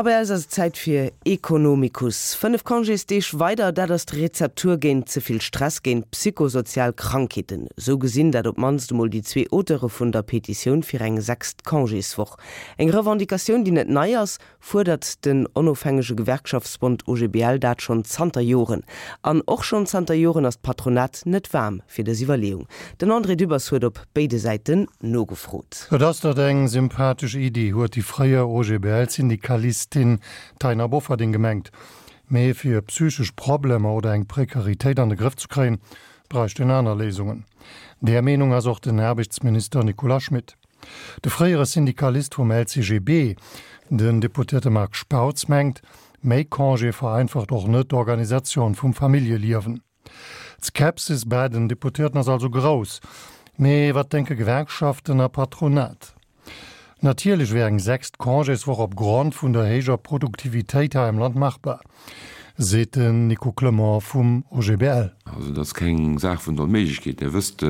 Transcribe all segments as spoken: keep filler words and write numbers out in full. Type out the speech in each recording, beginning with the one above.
A bei eis ass et Zäit fir Ekonomikus. Fënnef Congésdeeg weider, dat ass d'Rezeptur géint ze vill Stress, géint psychosozial Krankheeten. Esou gesinn dat op d'mannst emol déi zwee Auteure vun der Petitioun fir eng sechst Congéswoch. Eng Revendicatioun, déi net nei ass, fuerdert den onofhängege Gewerkschaftsbond O G B L dat schonn zanter Joren. An och schonn zanter Joren ass d'Patronat net waarm fir dës Iwwerleeung. Den André Dübbers huet op béide Säiten nogefrot. Et ass dat eng sympathesch Iddi, huet déi fréier O G B L-Syndikalistin Taina Bofferding gemengt. Mee fir psychesch Problemer oder eng Prekaritéit an de Grëff ze kréien, bräicht een aner Léisungen. Där Meenung ass och den Aarbechtsminister Nicolas Schmit. De fréiere Syndikalist vum L C G B, den Deputéierte Marc Spautz, mengt, méi Congé vereinfacht och net d'Organisatioun vum Familljeliewen. D'Skepsis bei den Deputéierten ass also grouss. Mee wat denke Gewerkschaften a Patronat? Natierlech wär eng sechst Congéswoch opgrond vun der héijer Produktivitéit hei am Land machbar, seet den Nico Clement vum O G B L. Also dat ass keng Saach vun der Onméiglechkeet. Dir wësst,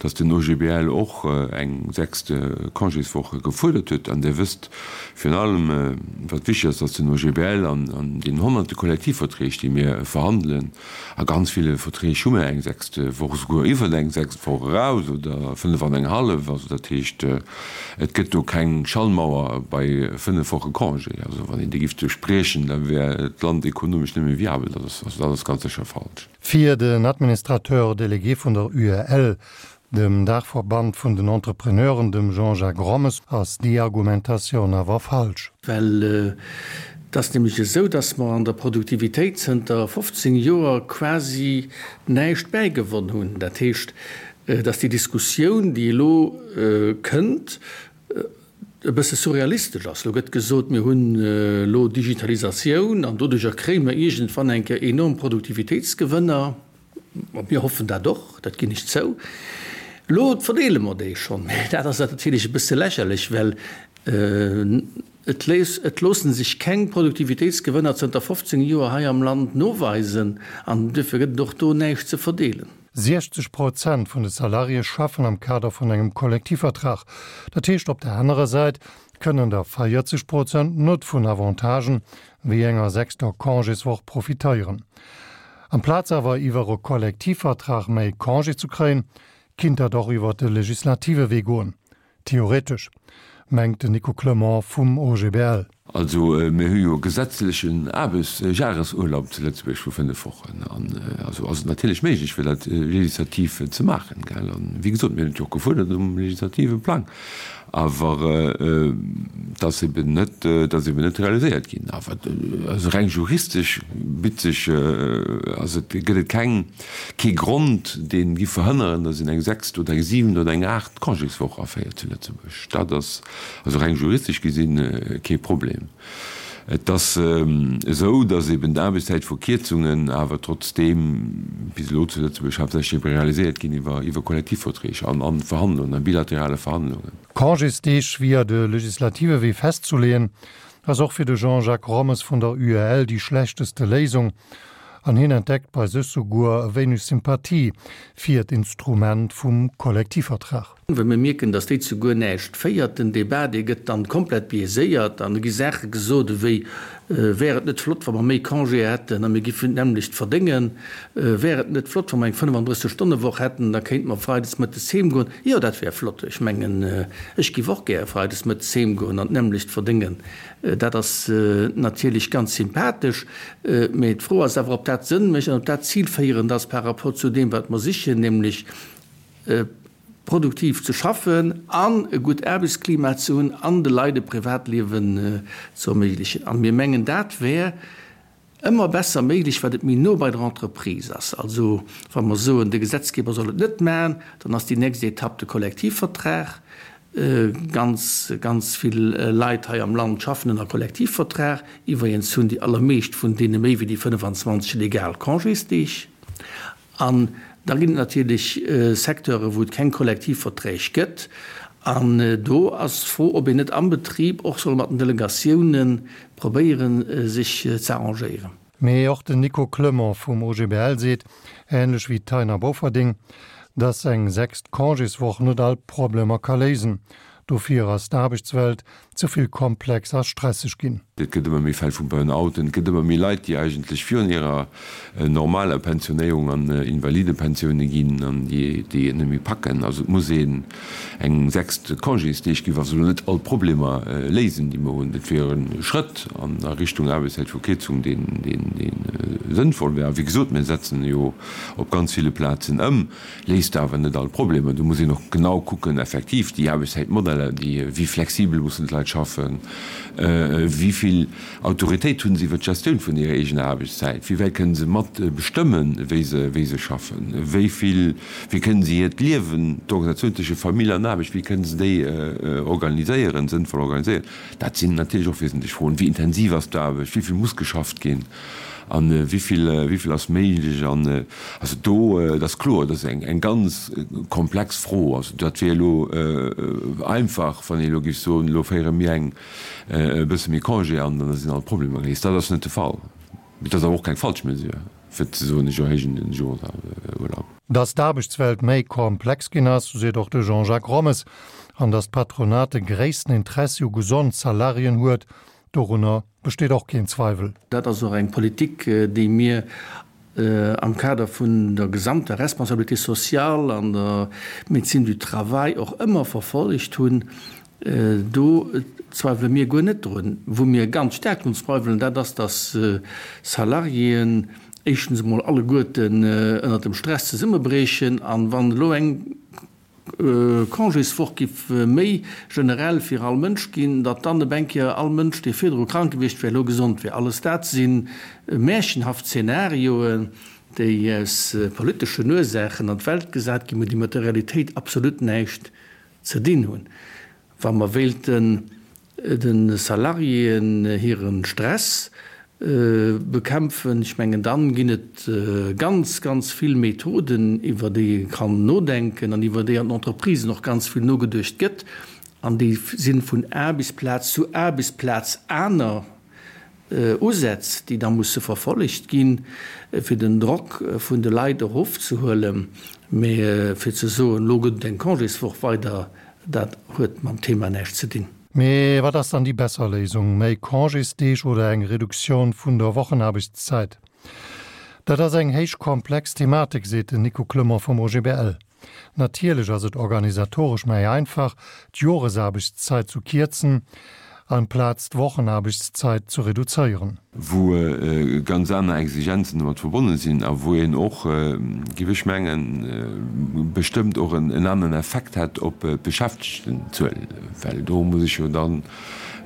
datt den O G B L och eng sechst Congéswoch gefuerdert huet. An Dir wësst virun allem, wat wichteg ass, datt den O G B L an an den honnerte Kollektivverträg, déi mir verhandelen, a ganz ville Verträg hu mir eng sechst Woch, esouguer iwwer eng sechst Woch eraus oder fënnef an eng hallef. Also dat heescht, et gëtt do keng Schallmauer bei fënnef Woche Congé. Also wann een déi géif duerchbriechen, da wär d'Land ekonomesch net méi viabel. Dat ass, also dat ass ganz sécher falsch. Fir den Administrateur délégué vun der U E L, dem Daachverband vun den Entrepreneuren, dem Jean-Jacques Rommes, ass déi Argumentatioun awer falsch. Well et ass nämlech esou, dass mer an der Produktivitéit zënter fofzéng Joer quasi näischt bäigewonn hunn. Dat heescht, dass déi Diskussioun, déi elo kënnt, e bësse surrealistesch ass. Elo gëtt gesot, mir hunn elo Digitalisatioun an doduercher kréie mer iergendwann eng Kéier enorm Produktivitéitsgewënner. Mir hoffen dat och, dat ginn ech zou. Elo verdeele mer déi schonn. Mä dat ass natierlech e bësse lächerlech, well et léisst, et loosse sech keng Produktivitéitsgewënner zënter fofzéng Joer hei am Land noweisen an duerfir gëtt et och do näischt ze verdeelen. siechzeg Prozent vun de Salariéë schaffen am Kader vun engem Kollektivvertrag. Dat heescht, op der anerer Säit kënnen der véierzeg Prozent net vun Avantagen wéi enger sechster Congéswoch profitéieren. Amplaz awer iwwer e Kollektivvertrag méi Congé ze kréien, kinnt dat och iwwer de legislative Wee goen. Theoretesch, mengt den Nico Clement vum O G B L. Also mir hu jo e gesetzlechen Aarbechtsjahresurlaub zu Lëtzebuerg vu fënnef Wochen. An also ass et natierlech méiglech, fir dat legislativ ze maachen, gell. An wéi gesot, mir hunn et jo och gefuerdert um legislative Plang. Awer et ass eben net, et ass eben net realiséiert ginn. Awer also reng juristesch bitt sech, ass et, gëtt et keng, kee Grond, dee giff verhënneren, datt een eng sechst oder eng siwent oder eng aacht Congéswoch aféiert zu Lëtzebuerg. Dat ass also reng juristesch gesinn kee Problem. Et ass esou, datt eben d'Aarbechtszäitverkierzungen awer trotzdeem bis elo zu Lëtzebuerg haaptsächlech ebe realiséiert ginn iwwer iwwer Kollektivverträg an an Verhandlungen, a bilaterale Verhandlungen. Congésdeeg via de legislative Wee festzuleeën, ass och fir de Jean-Jacques Rommes vun der U E L déi schlechteste Léisung. An hien entdeckt bei sech souguer e wéineg Sympathie fir d'Instrument vum Kollektivvertrag. Well mir mierken, datt déi zu guer näischt féiert. Den Debat, dee gëtt dann komplett biaiséiert an da gi Saache gesot ewéi, Wär et net flott, wa mer méi Congé hätten a mir giffen d'nämmlecht verdéngen? Wär et net flott, wa mer eng fënnefandrësseg-Stonne-Woch hätten, da kéinte mer freides mëttes heem goen? Jo, dat wär flott. Ech mengen, ech giff och gär freides mëttes heem goen an d'nämmlecht verdéngen. Dat ass natierlech ganz sympathesch. Mee d'Fro ass awer, ob dat Sënn mécht an ob dat zilféierend ass par rapport zu deem, wat mer sichen, nämlech produktiv ze schaffen an e gutt Aarbechtsklima ze hunn an de Leit e Privatliewen ze erméiglechen. A mir mengen, dat wär ëmmer besser méiglech, wat et méi no bei der Entreprise ass. Also wa mer soen, de Gesetzgeber soll et net maachen, dann ass déi nächst Etapp de Kollektivvertrag. Ganz, ganz vill Leit hei am Land schaffen ënner Kollektivvertrag. Iwwregens hunn déi allermeescht vun deene méi wéi déi fënnefenzwanzeg legal Congésdeeg. An da ginn et natierlech Secteure wou et keng Kollektivverträg gëtt. An do ass d'Fro, ob een net am Betrib och soll mat den Delegatioune probéieren, sech ze arrangéieren. Mee och den Nico Clement vum O G B L seet, änlech wéi d'Taina Bofferding, dass eng sechst Congéswoch net all Problemer ka léisen. Dofir ass d'Aarbechtswelt ze vill komplex a stresseg ginn. Et gëtt ëmmer méi Fäll vu Burnouten, et gëtt ëmmer méi Leit, déi eigentlech virun hirer normaler Pensionéierung an Invalidepensioune ginn an déi déi et net méi packen. Also et muss een eng sechst Congésdeeg ginn, wa se elo net all d'Problemer léisen, déi mer hunn. Et wier e Schrëtt an a Richtung Aarbechtszäitverkierzung, deen deen deen sënnvoll wär. A wéi gesot, mir setzen jo op ganz ville Plazen ëm, léist awer net all d'Problemer. Do muss een och genau kucken, effektiv déi Aarbechtszäitmodeller, déi wéi flexibel mussen d'Leit schaffen, wéi vill Autoritéit hunn se iwwer d'Gestioun vun hirer eegener Aarbechtszäit, wéi wäit kënnen se mat bestëmmen, wéi se, wéi se schaffen, wéi vill, wéi kënnen se hiert Liewen, d'Organisatioun tësche Famill an Aarbecht, wéi kënnen se déi organiséieren, sënnvoll organiséieren. Dat sinn natierlech och wesentlech Froen. Wéi intensiv ass d'Aarbecht, wéi vill muss geschafft ginn an wéi vill, wéi vill ass méiglech an, also do, et ass kloer, dat ass eng, eng ganz komplex Fro. Also dat wier elo einfach, wann een elo géif soen, elo féiere mir eng e bësse méi Congé an, dann sinn all d'Problemer geléist. Dat ass net de Fall. Mee dat ass awer och keng falsch Mesure, fir ze soen, ech erhéijen den Joresurlaub. Datt d'Aarbechtswelt méi komplex ginn ass, seet och de Jean-Jacques Rommes, an datt d'Patronat de gréissten Interessi u gesond Salariéen huet, dorunner besteet och keen Zweiwel. Dat ass och eng Politik, déi mir am Kader vun der gesamter Responsabilité sociale an der Médecine du travail och ëmmer verfollegt hunn. Do zweiwele mir guer net drun. Wou mir ganz staark drun zweiwelen, dat ass, dass Salariéen éischtens emol alleguerten ënnert dem Stress zesummebriechen an wann elo eng Congéswoch giff méi generell fir all Mënsch ginn, datt dann op eng Kéier all Mënsch, dee virdru krank gewiescht wär, elo gesond wär. Alles dat si märchenhaft Zenarioen, déi aus politeschen Ursaachen an d'Welt gesat ginn, mä déi mat der Realitéit absolut näischt ze dinn hunn. Wa mer wéilten de Salariéen hire Stress bekämpfen, ech mengen, dann ginn et ganz, ganz vill Methoden, iwwer déi ee kann nodenken an iwwer déi an den Entreprisen och ganz vill nogeduecht gëtt, an déi si vun Aarbechtsplaz zu Aarbechtsplaz aner Usätz, déi da musse verfollegt ginn, fir den Drock vun de Leit erofzehuelen. Mee fir ze soen, elo gëtt et eng Congéswoch weider, dat huet mam Thema näischt ze dinn. Mee wat ass dann déi besser Léisung, méi Congésdeeg oder eng Reduktioun vun der Wochenaarbechtszäit? Dat ass eng héich komplex Thematik, seet den Nico Clement vum OGBL. Natierlech ass et organisatoresch méi einfach, d'Joresaarbechtszäit zu kierzen, amplaz d'Wochenaarbechtszäit ze reduzéieren. Wou ganz aner Exigenzen domat verbonne sinn a wou een och, géif ech mengen, bestëmmt och en aneren Effekt hätt op d'Beschäftegtenzuel, well do muss ech jo dann,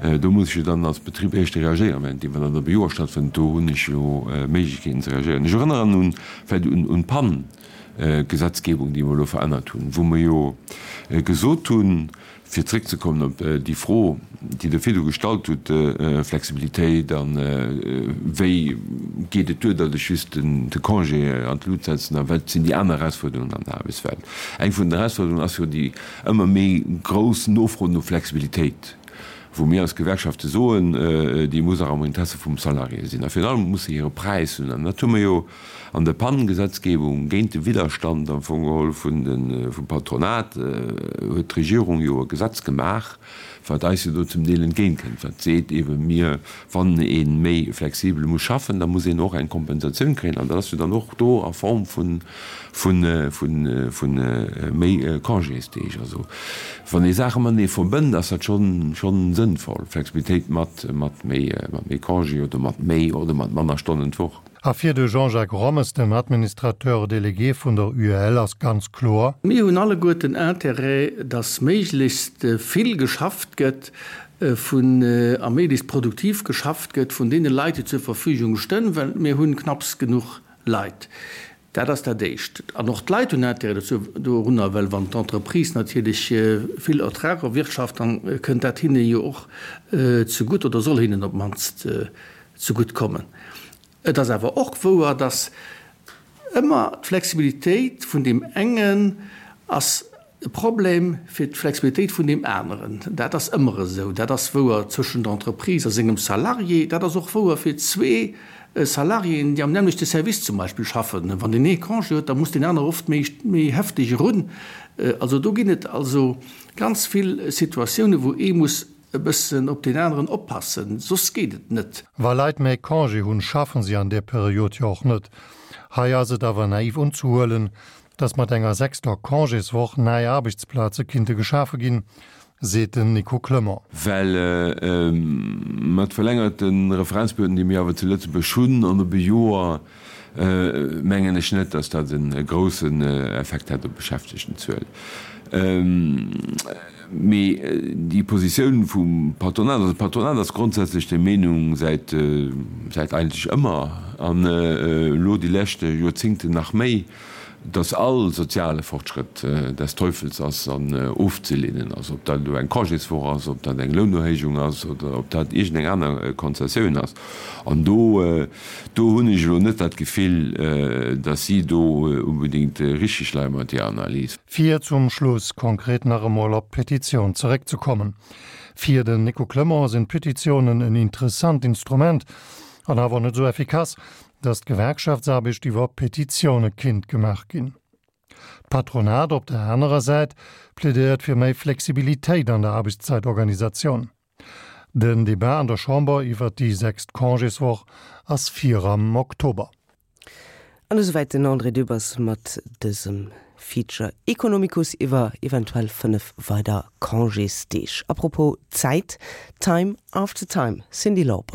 do muss ech jo dann als Betrib éischter reagéieren, während wann dat op e Joer stattfënnt, do hunn ech jo Méiglechkeeten ze reagéieren. Ech erënneren un, vläicht un d'PAN-Gesetzgebung, déi mer elo verännert hunn, wou mer jo gesot hunn, Fir zréckzekommen op déi Fro, déi Der virdu gestallt hutt, Flexibilitéit a wéi geet et duer, datt ech just de Congé an d'Lut setzen a wat sinn déi aner Erausfuerderungen an der Aarbechtswelt? Eng vun den Erausfuerderungen ass jo déi ëmmer méi grouss Nofro no Flexibilitéit, wou mir als Gewerkschafte soen, déi muss och am Interesse vum Salarié sinn a virun allem muss se hire Präis hunn. An dat hu mer jo an der PAN-Gesetzgebung géint de Widderstand am Fong geholl vun de vum Patronat huet d'Regierung jo e Gesetz gemaach, wat eis jo do zum Deel entgéintkënnt, wat seet eebe mir, wann ee méi flexibel muss schaffen, da muss een och eng Kompensatioun kréien an dat ass jo dann och do a Form vu vu vu vu méi Congésdeeg. Also wann ee Saache matenee verbënnt, ass dat schonn schonn sënnvoll, Flexibilitéit mat mat méi mat méi Congé oder mat méi oder mat manner Stonnen d'Woch. A fir de Jean-Jacques Rommes, dem Administrateur délégué vun der UEL, ass ganz kloer. Mir hunn alleguerten Intérêt, dass méiglechst vill geschafft gëtt vun, a méiglechst produktiv geschafft gëtt vun deene Leit, déi zur Verfügung stënn, well mir hunn knapps genuch Leit. Dat ass dat Éischt. An och d'Leit hunn Intérêt dozou, dorunner, well wann d'Entreprise natierlech vill Ertrag erwirtschaft, dann kënnt dat hinne jo och zegutt oder soll hinnen op d'mannst zegutt kommen. Et ass awer och wouer, dass ëmmer d'Flexibilitéit vun deem engen ass e Problem fir d'Flexibilitéit vun deem aneren. Dat ass ëmmer esou. Dat ass wouer zwëschen der Entreprise a sengem Salarié. Dat ass och wouer fir zwee Salariéen, déi am nämmlechte Service zum Beispill schaffen. Wann deen ee Congé huet, da muss deen anere oft méi, méi hefteg erun. Also do ginn et also ganz vill Situatiounen, wou ee muss e bëssen op deen aneren oppassen, soss geet et net. Wa Leit méi Congé hunn, schaffen si an där Period jo och net. Hei ass et awer naiv unzehuelen, dass mat enger sechster Congéswoch nei Aarbechtsplaze kinnte geschafe ginn, seet den Nico Clement. Well mat verlängerte Referenzperioden, déi mir awer zu Lëtzebuerg hunn, an op e Joer, mengen ech net, dass dat e groussen Effekt hätt op d'Beschäftegtenzuel. Mee déi Positioun vum Patronat, also d'Patronat ass grondsätzlech der Meenung, säit, säit eigentlech ëmmer an elo déi lescht Joerzingten nach méi, dass all soziale Fortschrëtt des Teufels ass an ofzeleenen ass, ob dat elo eng Congéswoch ass, ob dat eng Lounerhéijung ass oder ob dat iergendeng aner Konzessioun ass. An do, do hunn ech elo net dat Gefill, dass si do unbedéngt richtig leie mat hirer Analys. Fir zum Schluss konkret nach emol op d'Petitioun zeréckzekommen. Fir den Nico Clement sinn d'Petitiounen en interessant Instrument, an awer net esou effikass, datt d'Gewerkschaftsaarbecht iwwer Petitioune kinnt gemaach ginn. D'Patronat op der anerer Säit plädéiert fir méi Flexibilitéit an der Aarbechtszäitorganisatioun. Den Debat an der Chamber iwwer déi sechst Congéswoch ass fir am Oktober. An esouwäit den André Dübbers mat dësem Feature Economicus iwwer eventuell fënnef weider Congésdeeg. Apropos Zäit, Time after Time, Cyndi Lauper.